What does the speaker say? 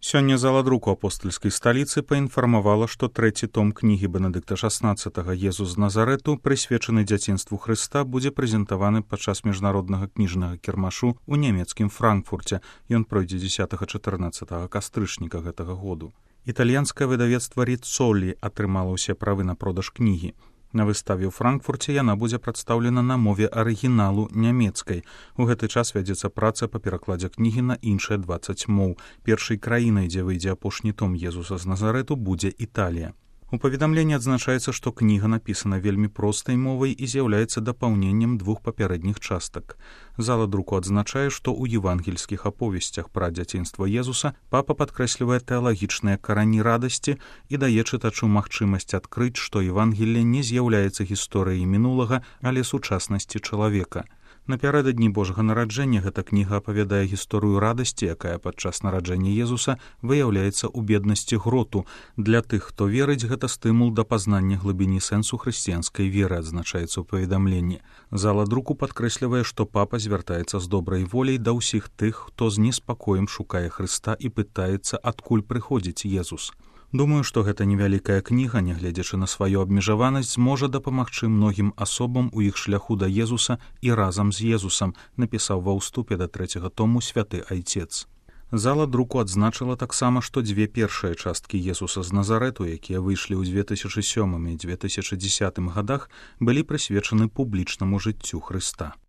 Сёння зала друку апостальскай сталіцы паінфармавала, што трэці том кнігі Бенедыкта XVI «Езус з Назарэту», прысвечаны дзяцінству Хрыста, будзе прэзентаваны падчас міжнароднага кніжнага кірмашу ў нямецкім Франкфурце. Ён пройдзе 10-14 кастрычніка гэтага году. Італьянскае выдавецтва Ріццолі атрымала ўсе правы на продаж кнігі. На выставе ў Франкфурце яна будзе прадстаўлена на мове арыгіналу нямецкай. У гэты час вядзецца праца па перакладзе кнігі на іншыя 20 моў. Першай краінай, дзе выйдзе апошні том «Езуса з Назарэту», будзе Італія. У паведамленні адзначаецца, што кніга напісана вельмі простай мовай і з'яўляецца дапаўненнем двух папярэдніх частак. Зала друку адзначае, што ў евангельскіх аповесцях пра дзяцінства Езуса папа падкрэслівае тэалагічныя карані радасці і дае чытачу магчымасць адкрыць, што Евангелле не з'яўляецца гісторыяй мінулага, але сучаснасці чалавека. Напярэдадні Божага нараджэння гэта кніга апавядае гісторыю радасці, якая падчас нараджэння Езуса выяўляецца ў беднасці гроту. Для тых, хто верыць, гэта стымул да пазнання глыбіні сэнсу хрысціянскай веры, адзначаецца ў паведамленні. Зала друку падкрэслівае, што папа звяртаецца з добрай воляй да ўсіх тых, хто з неспакоем шукае Хрыста і пытаецца, адкуль прыходзіць Езус. Думаю, што гэта невялікая кніга, нягледзячы на сваю абмежаванасць, зможа дапамагчы многім асобам у іх шляху да Езуса і разам з Езусам, напісаў ва ўступе да трэцяга тому святы айцец. Зала друку адзначыла таксама, што дзве першыя часткі «Езуса з Назарэту», якія выйшлі ў 2007 і 2010 гадах, былі прысвечаны публічнаму жыццю Хрыста.